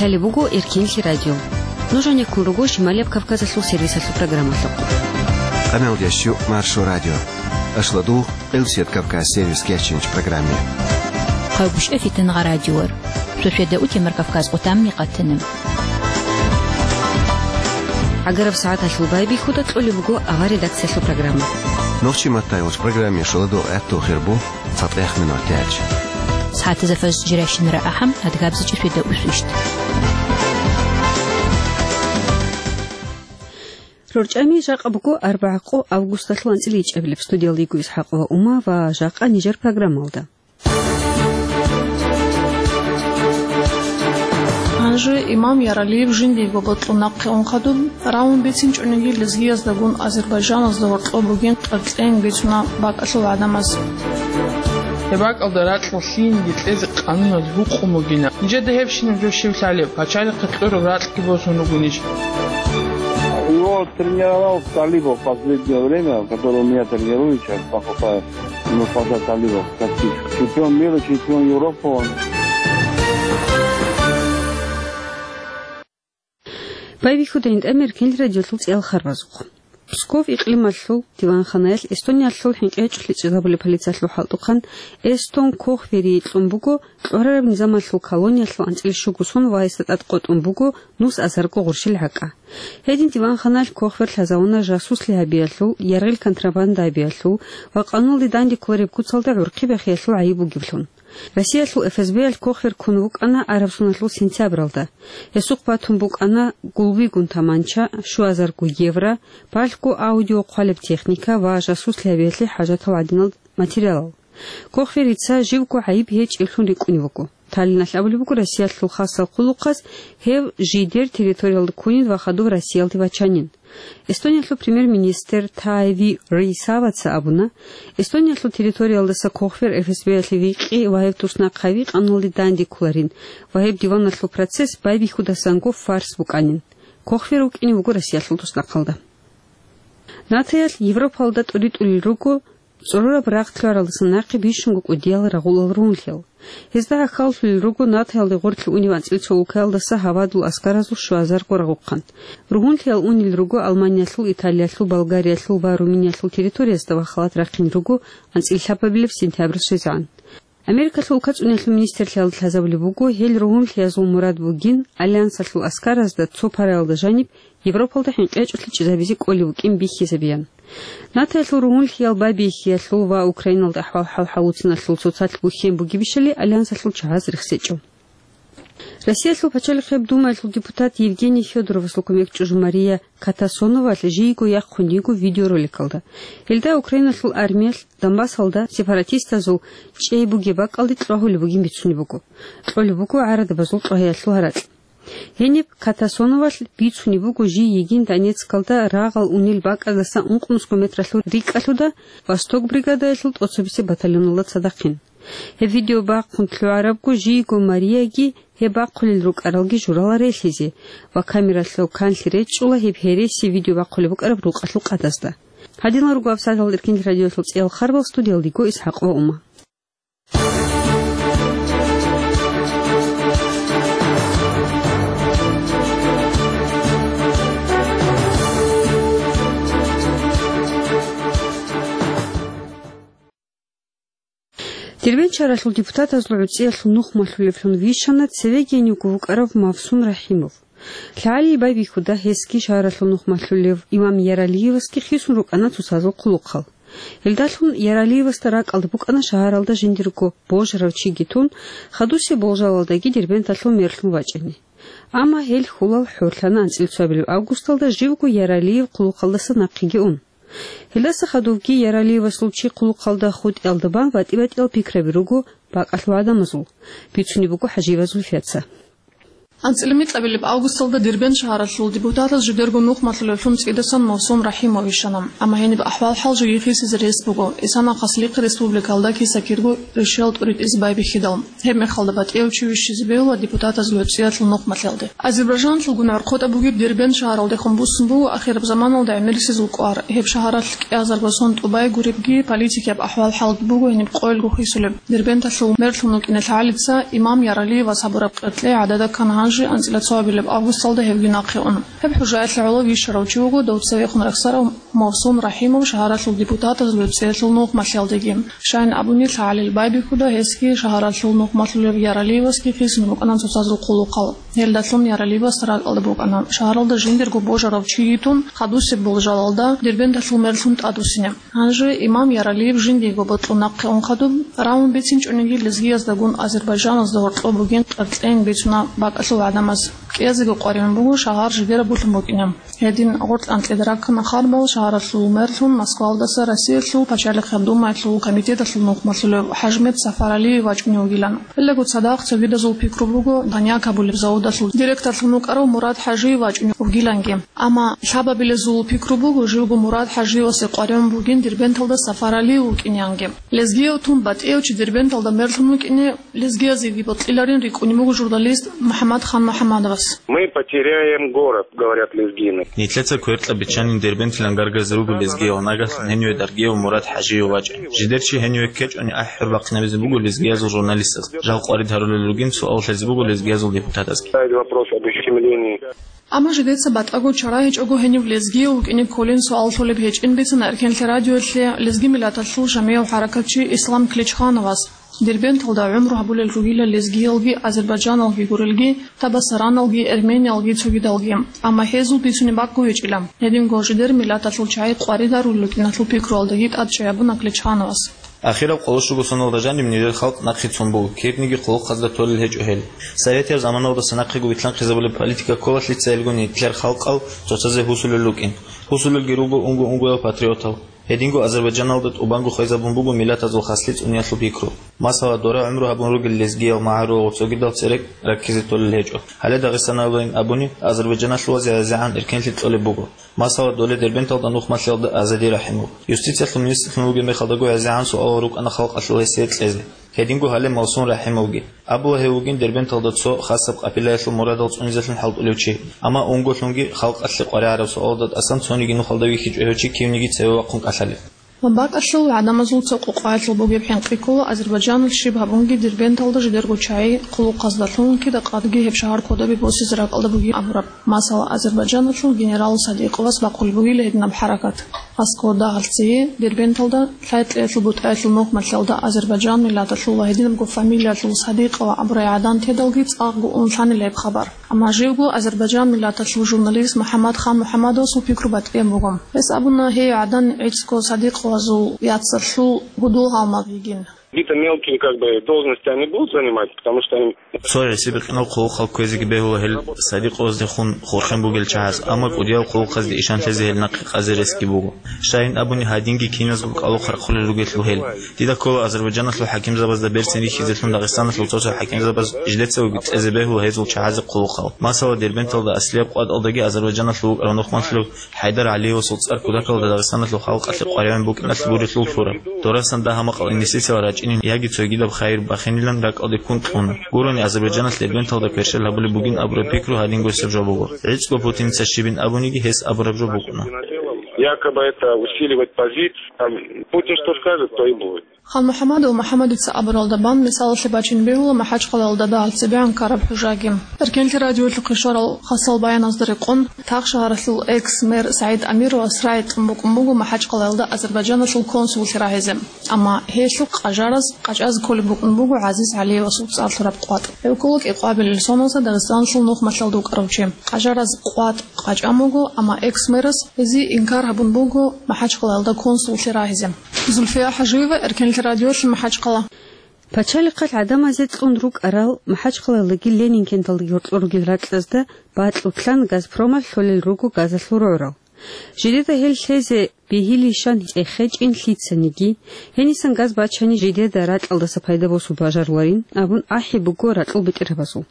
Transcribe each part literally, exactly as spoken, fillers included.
Лъалеб буго Эркинлъи радио. Нуж гьанеккун руго Шималияб Кавказалъул сервисалъул программалъухъ. Къамелдящу Маршо радио. Ашладугъ, Къилсият Кавказ сервис кечинч программе. Хъавгушев Фитангъа радиор. Сосведа утемар Кавказ къутамни къатана. ГӀагараб сагӀаталъул байбихьуда кьолеб буго авар редакциялъул программа. Нохчи маттайолч программе шоладо гӀатту хирбу. ЦатӀех минут яч. СагӀатазда фаз жиращинара ахӀам, адгабзичӀи светда усвищт. РорчӀами жакъа буго арбагӀа къо августалъул анцӀила ичӀабилеб. Студиялда йиго ИсхӀакъ ва Ума ва жакъа нижер программалда. Гьанже имам Яралиев жиндиего бокьун нахъе ун хадуб, рагьун бицинчӀониги лезгиязда гун Азербайжаназда гьоркьоб бугин къеркьейин бицуна бакӀалъул гӀадамаз. Гьеб бакӀалда ракьалъ лъиениги кьезе къануналъ гьукъун бугина. Нижеда гьебщинаб жо щив лъалеб, пачалихъе кьураб ракьги босун ругонищ? Его тренировал Талибов последнее время, который у меня тренируется, Мустафа Талибов, как чемпион мира, чемпион Европы он. Байбихьуда гьитӀамир Эркинлъи радиолъул цӀиял харбазухъ. Псков икълималъул диванханаялъ Эстониялъул хӀинкъи гьечӀолъи чӀезабулеб полициялъул хӀалтӀухъан Эстон Кохвери кьун буго кьварараб низамалъул колониялъул анцӀила щуго сон ва гьесда тӀад къотӀун буго нус азарго гъурщил гӀакӀа. Гьедин диванханаялъ Кохвер лъазавуна жасуслъи гьабиялъул, яргъил контрабанда гьабиялъул ва къануналде данде кколареб куцалда гӀурхъи бахиялъул гӀайиб бугеблъун. Россиялъул ФСБ-ялъ Кохвер ккун вукӀана араб соналъул сентябралда. Гьесухъ батун букӀана гулбигун таманча, щуазарго евро, балъго аудио хъвалеб техника ва жасуслъи гьабиялъе хӀажатал гӀадинал материалал. Кохверица живго гӀайиб гьечӀеблъун рикӀкӀунев вуго. Таллиналъ абулеб буго Россиялъул хасал хъулухъаз гьев жидер территориялда ккунин ва хадуб Россиялде вачанин. Эстониялъул премьер-министр Таави Рейсаваца абуна, Эстониялъул территориялдаса Кохвер ФСБ-ялъе викъи ва гьев туснахъави къануналде данде кколарин ва гьеб диваналъул процесс байбихьудасанго фарс букӀанин. Кохвер вукӀине вуго Россиялъул туснахъалда. НАТОялъ Европалда тӀуритӀулел руго цӀорораб рагъ лъугӀаралдаса нахъе бищунго кӀудиял рагъулал ругьунлъиял. Гьезда гӀахьаллъулел руго НАТОялде гъорлъе унев анцӀила цо улкаялдаса гьавадул аскаразул щуазарго рагъухъан. Ругьунлъиял унел руго Алманиялъул, Италиялъул, Болгариялъул ва Румыниялъул территориязда ва халат рахъин руго анцӀила лъабабилеб сентябрь щвезегӀан. Америкалъул улкацӀуниялъул министрлъиялда лъазабулеб буго, гьел ругьунлъиязул мурад бугин Альянсалъул аскаразда цо параялда жаниб Европалда хӀинкъи гьечӀолъи чӀезабизе кӀолеб букӀин бихьизабиян. НАТОялъул ругьунлъиял байбихьиялъул ва Украиналда ахӀвал-хӀал гьавуциналъул цоцалъ бухьен бугебищали Альянсалъул чагӀаз рехсечӀо. Россиялъул пачалихъеб Думаялъул депутат Евгений Федоровасул кумекчӀужу Мария Катасоновалъ жийго яхъун йиго видеороликалда. Гьелда Украиналъул армиялъ Донбассалда сепаратистазул чӀей бугеб бакӀалде кьвагьулеб бугин бицунеб буго. Кьолеб буго гӀарадабазул кьвагьиялъул гьаракь. Гьениб Катасоновалъ бицунеб буго жий йигин Донецкалда рагъал унел бакӀаздаса ункънусго метралъул рикӀкӀалъуда Восток бригадаялъул тӀоцебесеб батальоналда цадахъин. Гьеб видео бахъун лъугӀарабго жийго Марияги гьеб бахъулел рукӀаралги журала релъизе ва камералъул канлъи речӀчӀула гьеб гьереси видео бахъулеб букӀараб рукъалъул къадазда. Гьадинал руго гьаб сагӀаталда Эркинлъи радиоялъул цӀиял харбал, студиялда йиго ИсхӀакъ ва Ума. Дербент шагьаралъул депутатазул гӀуцӀиялъул нух малъулевлъун вищана цевегиянивго вукӀарав Мавсум Рахимов. ЛъагӀалил байбихьуда гьесги шагьаралъул нух малъулев имам Яралиевасги хисун рукӀана цоцазул хъулухъал. Гьелдалъун Яралиевасда ракӀалда букӀана шагьаралда жиндирго божарав чиги тун, хадусеб болжалалдаги Дербенталъул мерлъун вачӀине. Амма гьел хьулал хӀорлъана анцӀила цоабилеб августалда живго Яралиев хъулухъалдаса нахъеги ун. Гьелдаса хадубги Яралиевасул чи хъулухъалда хутӀиялда бан батӀи-батӀиял пикраби руго бакӀалъул гӀадамазул, бицунеб буго ХӀажиева Зульфияца. АнцӀила микьабилеб августалда Дербент шагьаралъул депутатаз жидерго нух малъулевлъун цӀидасан Мавсум Рахимов вищана. Амма гьениб ахӀвал-хӀал жеги хисизе рес буго, исана хаслихъ республикалда киса-кирго ришиял тӀуритӀизе байбихьидал. Гьеб мехалда батӀияв чи вищизе бегьула депутатазул гӀуцӀиялъул нух малъиялде. Азербайжаналъулгун гӀорхъотӀаб бугеб Дербент шагьаралдехун буссун буго ахираб заманалда гӀемерисезул кӀвар. Гьеб шагьаралъ кӀиазарго сон тӀубай гуребги, политикияб ахӀвал-хӀал буго гьениб къоялго хисулеб. Дербенталъул мерлъун вукӀиналъ гӀалица имам Яралиевас гьабураб къеркьей гӀадада ккана гьанже Жи анцӀила цоабилеб августалда гьевги нахъе ун. Гьеб хӀужаялъе гӀоло вищарав чи вуго дов цевехун рехсарав Мавсун Рахимов шагьаралъул депутатазул цӀеялъул нухмалъиялдеги. Щайин абуни, лъагӀалил байбихьуда гьесги шагьаралъул нухмалъулев Яралиевасги хисун рукӀана цоцазул хъулухъал. Гьелдалъун Яралиевас ракӀалда букӀана, шагьаралда жиндирго божарав чи йитун, хадусеб болжалалда Дербенталъул мерлъун тӀадвуссине. Гьанже имам Яралиев жиндиего бокьун нахъе ун хадуб, рагьун бицинчӀониги лезгияздагун азербайджаназда гьоркьоб бугин къеркьейин бицуна бакӀалъул гӀадамаз. КӀиязего къваригӀун буго шагьар жидераб булъун букӀине. Гьедин гъоркь анкьида раккана харбал шагьаралъул мерлъун Москвалдаса Россиялъул пачалихъе Думаялъул комитеталъул нухмалъулев ХӀажмет Сафаралиев вачӀунев вугилан. Гьелдаго цадахъ цогидазул пикру буго коньяк гьабулеб заводалъул директорлъун вукӀарав Мурад ХӀажиев вачӀунев вугиланги. Амма лъабабилезул пикру буго, живго Мурад ХӀажиевасе къваригӀун бугин Дербенталда Сафаралиев вукӀинеянги. Лезгияв тун батӀияв чи Дербенталда мерлъун вукӀине лезгиязеги бокьиларин рикӀкӀунеб буго журналист МухӀаммад Хан МухӀаммадовас. «Мы потеряем город», говорят лезгины. Нилъеца кверкьа биччанин Дербентилан гаргазе руго лезгиял, нагагь гьениве Даргияв Мурад ХӀажиев вачӀа. Жидер чи гьениве ккечӀони ахӀи-хӀур бахъинабизе буго лезгиязул журналистаз. Жал къварид гьарулел ругин, суал лъезе буго лезгиязул депутатазги. Ставить вопрос об ущемлении. Амма жидеца батӀаго чара гьечӀого гьенив лезгияв вукӀине кколин суал лъолеб гьечӀин бицана Эркенлъи радиоялъе лезги миллаталъул жамигӀав хӀаракатчи Ислам Клечхановас. Дербенталда гӀумру гьабулел ругила лезгиялги азербайджаналги гурелги, табасараналги, эрмениялги цогидалги. Амма гьезул бицунеб бакӀго гьечӀила. Гьединго жидер миллаталъул чагӀи къварид гьарулел рукӀиналъул пикруялдаги тӀадчӀей гьабуна Клечхановас. Ахираб къоло щуго соналда жаниб нижер халкъ нахъе цун буго, кибниги хъулухъазда толел гьечӀо гьел. Советиял заманалдаса нахъего вилълъанхъизабулеб политика ккола лъицайилгун нилъер халкъал цоцазе гьусулел рукӀин. Гьусулелги руго унго-унгоял патриотал. Гьединго Азербайджаналда тӀубанго хвезабун буго миллатазул хаслъи цӀуниялъул пикру. Масала, дора гӀумру гьабун ругел лезгиял, магӀарул ва цогидал церекӀ раккизе толел гьечӀо. Гьале Дагъистаналдайин абуни, Азербайджаналъуваз гӀезегӀан эркенлъи кьолеб буго. Масала, доле Дербенталда нухмалъиялда Азади Рахимов. Юстициялъул министрлъун вугеб мехалдаго гӀезегӀан суалал рукӀана халкъалъул гьесие кьезе. Гьединго гьале Мавсун Рахимовги. Абула гьев вугин Дербенталда цо хасаб къапилаялъул мурадал цӀунизелъун хӀалтӀулев чи. Амма унголъунги халкъалъе къваригӀараб суалалда тӀасан цониги нухалда вихьичӀо гьев чи кивниги цеве вахъун кӀалъалев. Ва бакӀалъул гӀадамазул цо къокъаялъул бугеб хӀинкъи ккола Азербайджаналъ щиб гьабунги Дербенталда жидерго чагӀи хъулухъазда лъугьунги дакъадги гьеб шагьар кодобе босизе ракӀалда бугин абураб. Масала, Азербайджаналъул генерал Садикъовас бахъулеб бугила гьединаб хӀаракат. Аскода гьалцие Дербенталда лъай кьеялъул бутӀаялъул нухмалъиялда Азербайджан миллаталъул ва гьединабго фамилиялъул Садикъова абурай гӀадан тедалги цӀакъго ун лъанила гьеб хабар. Амма живго Азербайджан миллаталъул журналист МухӀаммад Хан МухӀаммадовасул пикру батӀияб буго. Гьес абуна, гьей гӀадан гӀицӀго Садикъовазул яцалъул гьудул-гьалмагъ йигин. Какие-то мелкие, как бы, должности они будут занимать, потому что они... Цо гӀиси-бикъинал хъулухъал кквезеги бегьула гьел Садикъоваздехун хурхен бугел чагӀаз, амма кӀудиял хъулухъазде ишан лъезе гьел нахъе къазе ресги буго. Щайин абуни, гьадинги киназго кӀалухъ рахъулел ругелъул гьел. Дида ккола Азербайджаналъул хӀакимзабазда берцин рихьизелъун Дагъистаналъул цо-цо хӀакимзабаз жидецаго кьезе бегьула гьезул чагӀазе хъулухъал. Масала, Дербенталда аслияб къватӀалдаги Азербайджаналъул вукӀарав нухмалъулев ХӀайдар ГӀалиевасул цӀар кутакалда Дагъистаналъул халкъалъе къваригӀун букӀиналъ бурелъул лъураб. Дорасан дагьа-макъал инвестициялар рачӀинин яги цогидаб хайир бахинилан ракӀалде ккун кьуна. Гурони Азербайджаналъ Дербенталда кверщел гьабулеб бугин абураб пикру гьадин госеб жо буго. ГӀицӀго Путиница щибин абуниги гьес абураб жо букӀуна. Якобы это усиливать позицию, там, Путин что скажет, то и будет. Хан МухӀаммадов МухӀаммадица абуралда бан мисалалъе бачин бегьула МахӀачхъалаялда дагьал цебегӀан ккараб хӀужаги. Эркенлъи радиоялъухъе щварал хасал баяназда рекъон, тахшагьаралъул экс-мэр СагӀид Амировас рагӀи кьун букӀун буго МахӀачхъалаялда Азербайджаналъул консуллъи рагьизе. Амма гьелъухъ къажараз къачӀазе кколеб букӀун буго ГӀазиз ГӀалиевасул цӀар лъураб къватӀ. Гьев ккола кӀикъоабилел соналдаса Дагъистаналъул нухмалъиялда вукӀарав чи. Къажараз къватӀ къачӀан буго, амма экс-мэрас гьезие инкар гьабун буго МахӀачхъалаялда консуллъи рагьизе. Зульфия ХӀажиева, Эркенлъи радиолъи, МахӀачхъала. Пачалихъалъ гӀадамазе кьун рукӀарал, МахӀачхъалаялдаги Ленинкенталдаги гьоркьор ругел ракьазда бакьулъан Газпромалъ лъолел руго газалъул рогӀрал. Жидеда гьел лъезе бегьилищан цӀехечӀин лъицаниги, гьенисан газ бачани жидеда ракьалдаса пайда босун бажаруларин абун ахӀи буго ракьул бетӀергьабазул.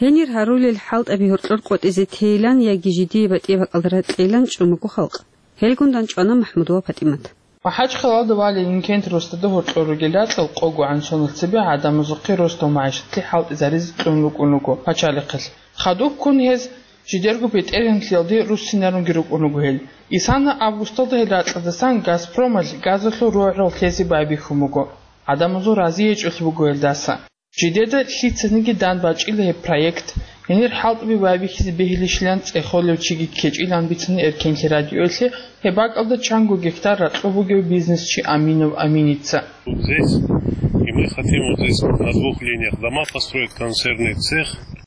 Гьенир гьарулел хӀалтӀаби гьоркьор къотӀизе тейилан яги жидее батӀи-бакӀалда ракьейилан чӀун буго халкъ. Гьелгун дандчӀвана МахӀмудова ПатӀимат. МахӀачхъалаялда ва Ленинкент росдада гьоркьор ругел ракьал къогогӀан соналъ цебе гӀадамазухъе росдал магӀишатлъи хӀалтӀизаризе кьун рукӀун руго пачалихъалъ. Хадуб ккун гьез жидерго бетӀергьанлъиялде руссинарунги рукӀун руго гьел. Исана августалда гьел ракьаздасан Газпромалъ газалъул рогӀрал лъезе байбихьун буго. ГӀадамазул разиячӀулъ буго гьелдаса. Жидеда лъицаниги дандбачӀила гьеб проект, Гьенир хӀалтӀуби байбихьизе бегьилищилан цӀехолев чиги ккечӀилан бицана Эркенлъи радиоялъе гьеб бакӀалда чанго гектар ракьул бугев бизнесчи Аминов Аминица. Здесь, и мы хотим вот здесь на двух линиях дома построить, консервный цех.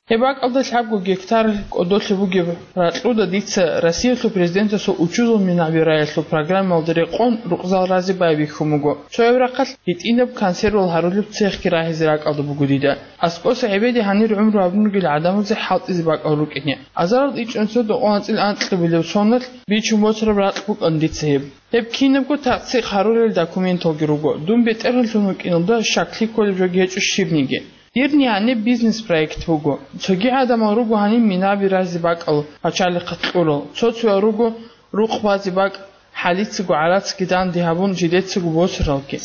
Гьеб бакӀалда лъабго гектар кӀодолъи бугеб ракьуда дица Россиялъул президентасул учузул минабираялъул программалда рекъон рукъзал рази байбихьун буго. Цояб рахъалъ гьитӀинаб консервал гьарулеб цехги рагьизе ракӀалда буго дида. АскӀоса гӀебеде гьанир гӀумру гьабун ругел гӀадамазе хӀалтӀизе бакӀал рукӀине. Азарал ичӀнусида анцӀил анкьабилеб соналъ бичун босараб ракь букӀана дица гьеб. Гьеб кинабго тахсикъ гьарулел документалги руго. Дун бетӀергьанлъун вукӀиналда щаклъи кколеб жоги гьечӀо щибниги. Дир нигӀаниб бизнес-проект буго. Цоги гӀадамал руго гьаниб минаби разе бакӀал пачалихъа кьурал. Цо-цоял руго рукъ базе бакӀ, хӀалицаго гӀарацги данде гьабун жидецаго босаралги.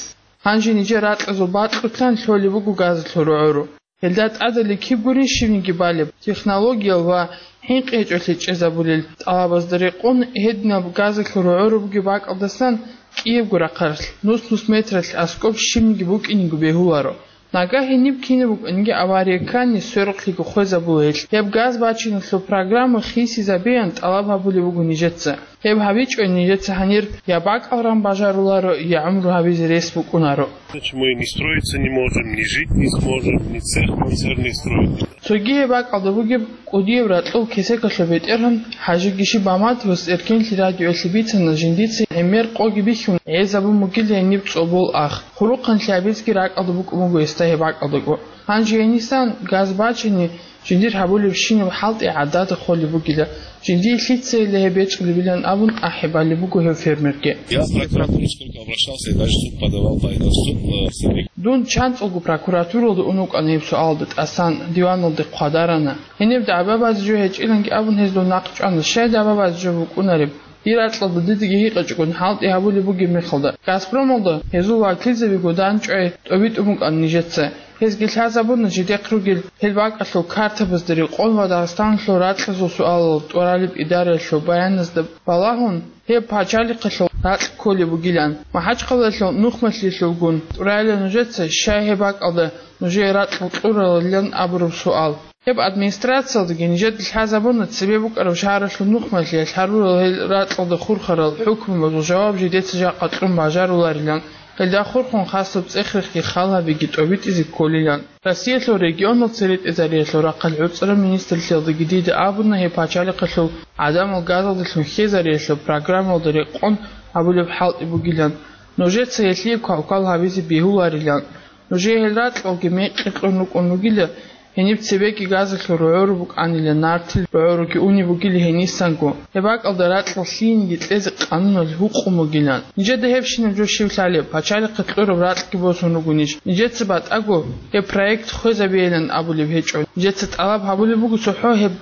Гьанже нижер ракьазул бакьулъан лъолеб буго газалъул рогӀору. Гьелда тӀадали киб гурин щибниги балеб, технологиял ва хӀинкъи гьечӀолъи чӀезабулел тӀалабазда рекъон гьединаб газалъул рогӀору бугеб бакӀалдасан кӀиябго рахъалъ, нус-нус метралъ аскӀоб щибниги букӀинего бегьуларо. Нагагь гьениб кинаб букӀаниги авария ккани, сверухълъиго хвезабула гьелъ. Гьеб газ бачиналъул программа хисизабеян тӀалаб гьабулеб буго нижеца. Гьеб гьабичӀо нижеца гьанир я бакӀал ран бажаруларо, я гӀумру гьабизе рес букӀунаро. Значит, мы ни строиться не можем, ни жить не сможем, ни цех консервный строить. Цоги гьеб бакӀалда бугеб кӀудияб ракьул кесекалъул бетӀергьан ХӀажи Гишиб Маматовас Эркенлъи радиоялъе бицана жиндица гӀемер къоги бихьун гӀезабун бугила гьениб цӀобол ах. Хъурухъанлъи гьабизги ракӀалда букӀун буго гьесда гьеб бакӀалдаго. Гьанже гьенисан газ бачани, жиндир гьабулебщинаб хӀалтӀи гӀадада холеб бугила, жиндие лъицайила гьеб бечӀулебилан абун ахӀи балеб буго гьев фермерги. Я в прокуратуру сколько обращался, и даже в суд подавал, по, в суд, э, с этим. Дун чанцӀулго прокуратуралда ун вукӀана гьеб суалда тӀасан, диваналде хъвадарана. Гьениб дагӀба базе жо гьечӀиланги абун гьез дов нахъ чӀвана, щай дагӀба базе жо букӀунареб? Дир ракьалда дидеги гьикъичӀого хӀалтӀи гьабулеб бугеб мехалда, Газпромалда гьезул вакилзабиго дандчӀвай тӀобитӀун букӀана нижеца. Гьезги лъазабуна жидехъ ругел гьел бакӀалъул картабазда рекъон ва Дагъистаналъул ракьазул суалал тӀуралеб идараялъул баяназда балагьун, гьеб пачалихъалъул ракь кколеб бугилан. МахӀачхъалаялъул нухмалъиялъулгун тӀурайилан нужеца, щай гьеб бакӀалда нужее ракь кьуралилан абураб суал. Гьеб администрациялдаги нижеда лъазабуна цебе букӀараб шагьаралъул нухмалъиялъ гьарурал гьел ракьалда хурхарал хӀукму ва жаваб жидеца жакъа кьун бажаруларилан, гьелда хурхун хасаб цӀех-рехги хал гьабиги тӀобитӀизе кколилан. Россиялъул регионал церетӀезариялъул рахъалъ гӀуцӀараб министрлъиялдаги дида абуна гьеб пачалихъалъул гӀадамал газалдалъун хьезариялъул программалда рекъон гьабулеб хӀалтӀи бугилан, нужеца гьелъие квалквал гьабизе бегьуларилан. Нужее гьел ракьалги мекъи кьун рукӀун ругила, гьениб цебеги газалъул рогӀору букӀанила, нартил рогӀоруги унеб бугила гьенисанго. Гьеб бакӀалда ракьал лъиениги кьезе къануналъ гьукъун бугилан. Нижеда гьебщинаб жо щив лъалеб, пачалихъе кьураб ракьги босун ругонищ? Нижеца батӀаго гьеб проект хвезабейилан абулеб гьечӀо. Нижеца тӀалаб гьабулеб буго цохӀо гьеб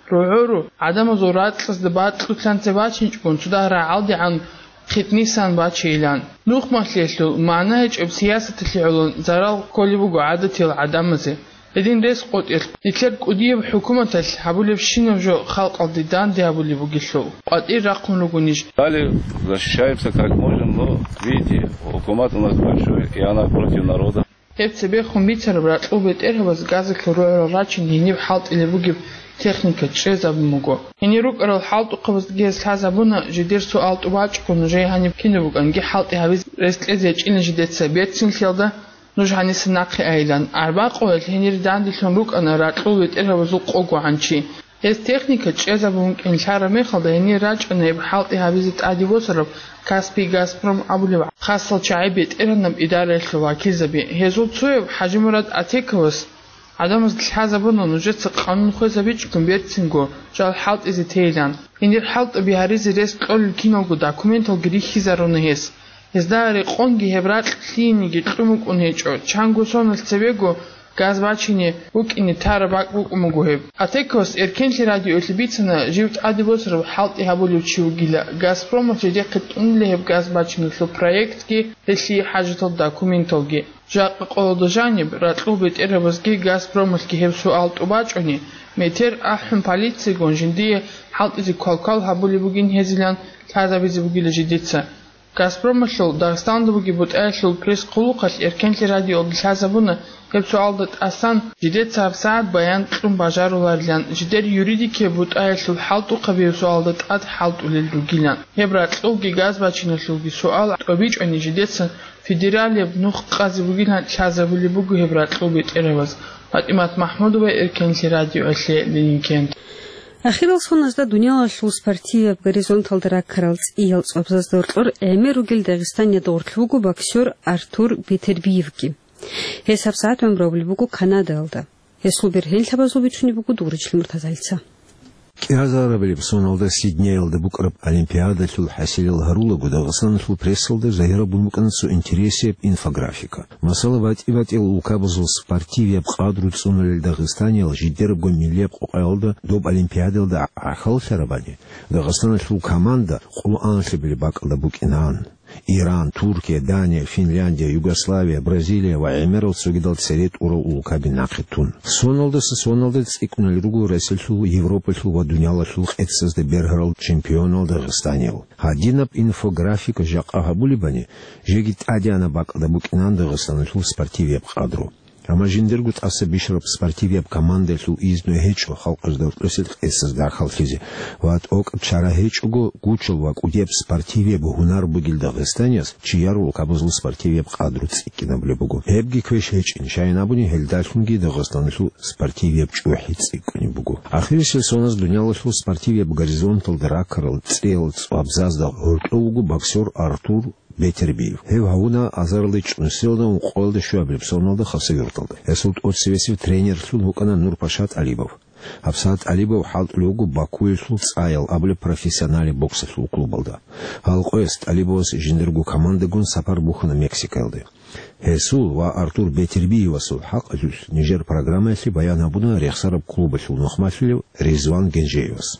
рогӀору гӀадамазул ракьазда бакьулъанте бачинчӀогун цо дагь рагӀалдегӀан хитӀнисан бачейилан. Нухмалъиялъул магӀна гьечӀеб сиясаталъе гӀоло зарал кколеб буго гӀадатиял гӀадамазе. Гьедин рес къотӀелъ нилъер кӀудияб хӀукуматалъ гьабулебщинаб жо халкъалде данде гьабулеб бугелъул къватӀир рахъун ругонищ? Далее защищаемся как можем, но, видите, хӀукумат у нас большой, и она против народа. Гьеб цебехун бицараб ракьул бетӀергьабаз газалъул рогӀорал рачин гьениб хӀалтӀилеб бугеб техника чӀезабун буго. Гьенир рукӀарал хӀалтӀухъабаздаги гьез лъазабуна жидер суал тӀубачӀого нужее гьаниб кинаб букӀанги хӀалтӀи гьабизе рес кьезе гьечӀилан жидеца берцинлъиялда нуж гьаниса нахъе айилан. Арбакъуялъ гьенир данделъун рукӀана ракьул бетӀергьабазул къого гӀанчи. Гьез техника чӀезабун кӀинлъараб мехалда гьенир рачӀана гьеб хӀалтӀи гьабизе тӀаде босараб Каспий Газпром абулеб хасал чагӀи бетӀергьанаб идараялъул вакилзаби. Гьезул цояб ХӀажимурад Атековас гӀадамазда лъазабуна нужеца къанун хвезабичӀгун берцинго жал хӀалтӀизе тейилан. Гьенир хӀалтӀаби гьаризе рес кьолел киналго документалги рихьизаруна гьес. Гьезда рекъонги гьеб ракь лъиениги кьун букӀун гьечӀо, чанго соналъ цебего газ бачине букӀине тараб бакӀ букӀун буго гьеб. Атековас Эркенлъи радиоялъе бицана жив тӀаде босараб хӀалтӀи гьабулев чи вугила, Газпромалъ жидехъе тӀунила гьеб газ бачиналъул проектги, гьелъие хӀажатал документалги. Жакъа къоялда жаниб, ракьул бетӀергьабазги Газпромалъги гьеб суал тӀубачӀони, метер ахӀун полициягун жиндие хӀалтӀизе квалквал гьабулеб бугин гьезилан лъазабизе бугила жидеца. Газпромалъул Дагъистанда бугеб бутӀаялъул пресс-хъулухъалъ Эркенлъи радиоялда лъазабуна гьеб суалда тӀасан, жидеца гьабсагӀат баян кьун бажаруларилан, жидер юридикияб бутӀаялъул хӀалтӀухъаби гьеб суалда тӀад хӀалтӀулел ругилан. Гьеб ракьулги газ бачиналъулги суал тӀобичӀони жидеца федералияб нух къазе бугилан лъазабулеб буго гьеб ракьул бетӀерабаз. ПатӀимат МахӀмудова, Эркенлъи радиоялъе, Ленингент. Ахирал соназда дуниялалъул спортивияб горизонталда раккарал цӀиял цӀвабзазда гьоркьор гӀемер ругел дагъистанида гъорлъ вуго боксер Артур Бетербиевги. Гьес гьабсагӀат гӀумру гьабулеб буго Канадаялда. Гьесул бергьенлъабазул бицунеб буго Дугъричил Муртазалица. КӀиазарабилеб соналда Сиднеялда букӀараб Олимпиадалъул хӀасилал гьарулаго, Дагъистаналъул прессалда загьирабун букӀана цо интересияб инфографика. Масала, батӀи-батӀиял улкабазул спортивияб къадру цӀунулел дагъистаниял жидерабго миллияб къокъаялда доб Олимпиадалда гӀахьаллъарабани, Дагъистаналъул команда къоло анлъабилеб бакӀалда букӀинаан. Иран, Туркия, Дания, Финляндия, Югославия, Бразилия ва гӀемерал цогидал цере тӀурал улкаби нахъе тун. Соналдаса соналда цӀикӀкӀунел руго Россиялъул, Европалъул ва дуниялалъул къецазда бергьарал чемпионал дагъистаниял. Гьадинаб инфографика жакъа гьабулебани, жеги тӀадегӀанаб бакӀалда букӀинаан Дагъистаналъул спортивияб къадру. Амма жиндирго тӀаса бищараб спортивияб командаялъул изну гьечӀо халкъалъул гьоркьосел къецазда рахъаллъизе ва тӀокӀаб чара гьечӀого, гучал ва кӀудияб спортивияб гьунар бугел дагъистанияс чияр улкабазул спортивияб къадру цӀикӀкӀинабулеб буго. Гьебги квеш гьечӀин, щайин абуни, гьелдалъунги Дагъистаналъул спортивияб чӀухӀи цӀикӀкӀунеб буго. Ахирисел соназ дуниялалъул спортивияб горизонталда раккарал цӀиял цӀвабзазда гьоркьов вуго боксер Артур Бетербиев. Гьев гьавуна азарилда чӀунусиялда ункъоялда щуабилеб соналда Хасавюрталда. Гьесул тӀоцебесев тренерлъун вукӀана Нурпаша ТӀалибов. ГьабсагӀат ТӀалибов хӀалтӀулев вуго Бакуялъул «ЦӀаял» абулеб профессионалияб боксалъул клубалда. Гьал къоялъ ТӀалибовас жиндирго командагун сапар бухьана Мексикаялде. Гьесул ва Артур Бетербиевасул хӀакъалъулъ нижер программаялъе баян гьабуна рехсараб клубалъул нухмалъулев Ризван Генжеевас.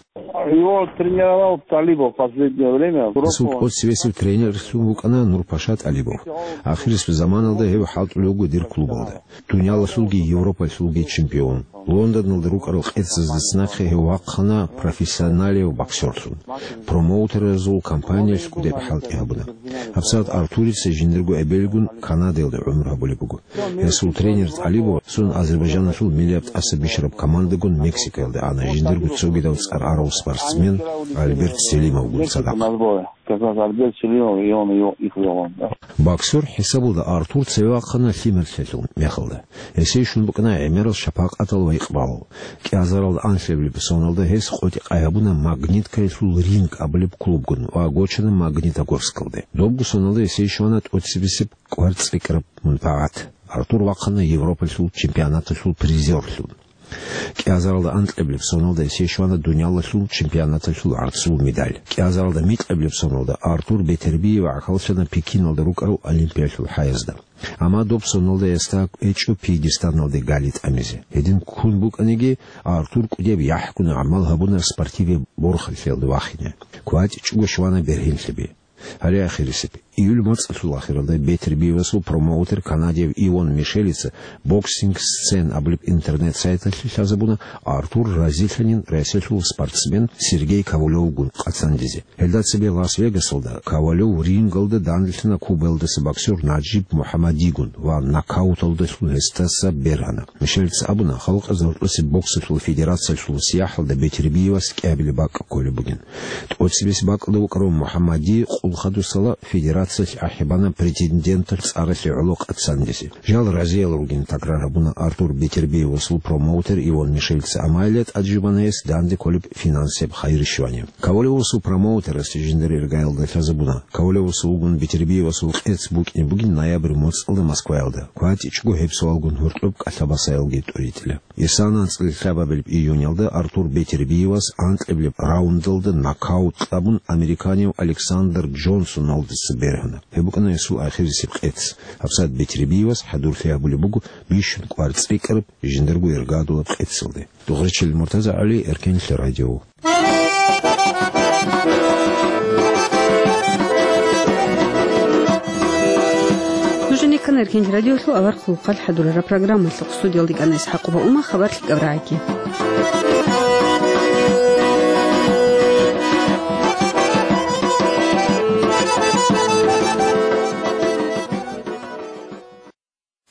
Его тренировал Талибов в последнее время. Гьесул тӀоцебесев тренерлъун вукӀана Нурпаша ТӀалибов. Ахирисеб заманалда гьев хӀалтӀулев вуго дир клубалда. Дуниялалъулги Европалъулги чемпион. Лондоналда рукӀарал къецаздаса нахъе гьев вахъана профессионалияб боксерлъун. Промоутеразул компаниялъ кӀудияб хӀалтӀи гьабуна. ГьабсагӀат Артурица жиндирго эбелгун Канадаялда гӀумру гьабулеб буго. Гьесул тренер ТӀалибов цун Азербайджаналъул миллияб тӀаса бищараб командагун Мексикаялде ана, жиндирго цогидав цӀар арав спортсмен Альберт Селимовгун цадахъ. Как раз Альберт Селимов, и он его, их вел, да. Боксер хӀисабалда Артур цеве вахъана лъимерлъиялъул мехалда. Гьесие щун букӀана гӀемерал шапакъатал ва икъбалал. КӀиазарал анлъабилеб соналда гьес къотӀи-къай гьабуна Магниткаялъул «Ринг» абулеб клубгун ва гочана Магнитогорскалде. Добго соналда гьесие щвана тӀоцебесеб кӀвар цӀикӀкӀараб мунпагӀат. Артур вахъана Европалъул чемпионаталъул призерлъун. КӀиазаралда анкьабилеб соналда гьесие щвана дуниялалъул чемпионаталъул гӀарцул медаль. КӀиазаралда микьабилеб соналда Артур Бетербиев гӀахьаллъана Пекиналда рукӀарал Олимпиялъул хӀаязда. Амма доб соналда гьесда гьечӀо пьедесталалде гали тӀамизе. Гьедин ккун букӀаниги, Артур кӀудияб яхӀгун гӀамал гьабуна спортивияб борхалъиялде вахине. КватӀичӀого щвана бергьенлъаби. Гьале ахирисеб. Июль моцӀалъул ахиралда Бетербиевасул промоутер канадияв Иван Мишелица «Боксинг Сцен» абулеб интернет-сайталъе лъазабуна Артур разилъанин Россиялъул спортсмен Сергей Ковалевгун къацандизе. Гьелда цебе Лас-Вегасалда Ковалев рингалда данделъана Кубаялдаса боксер Наджиб Мухаммадигун ва нокауталдалъун гьесдаса бергьана. Мишелица абуна, халкъазда гьоркьосе боксалъул федерациялъул сияхӀалда Бетербиевас кӀиабилеб бакӀ кколеб бугин. ТӀоцебесеб бакӀалда вукӀарав Мухаммади къулхъадусала федерациялъ ахӀи бана претенденталъ цӀаралъе гӀоло къацандизе. Жал разиял ругин, такрар гьабуна Артур Бетербиевасул промоутер Иван Мишелица, амма гьеле тӀад жубана гьес данде кколеб финансияб хайир-щвани. Ковалевасул промоутерасде жиндир иргаялда лъазабуна. Ковалевасул вугун Бетербиевасул къец букӀине бугин ноябрь моцӀалда Москваялда. КватӀичӀого гьеб суалгун гьоркьоб кӀалъабасаялги тӀуритӀила. Исана анцӀила лъабабилеб июнялда Артур Бетербиевас анкьабилеб раундалда нокаут кьабун американияв Александр Джонсоналдаса бергьана. Гьеб букӀана гьесул ахирисеб къец. ГьабсагӀат Бетербиевас хӀадурлъи гьабулеб буго бищун кӀвар цӀикӀкӀараб жиндирго иргадулаб къецалде. Дугъричил Муртаза ГӀали, Эркенлъи радио. Нуженикан Эркенлъи радиолъул авар хъулухъалъ хӀадурараб программалъухъ. Студиялда кӀана ИсхӀакъова Ума, хабар лъикӀаб рагӀиги.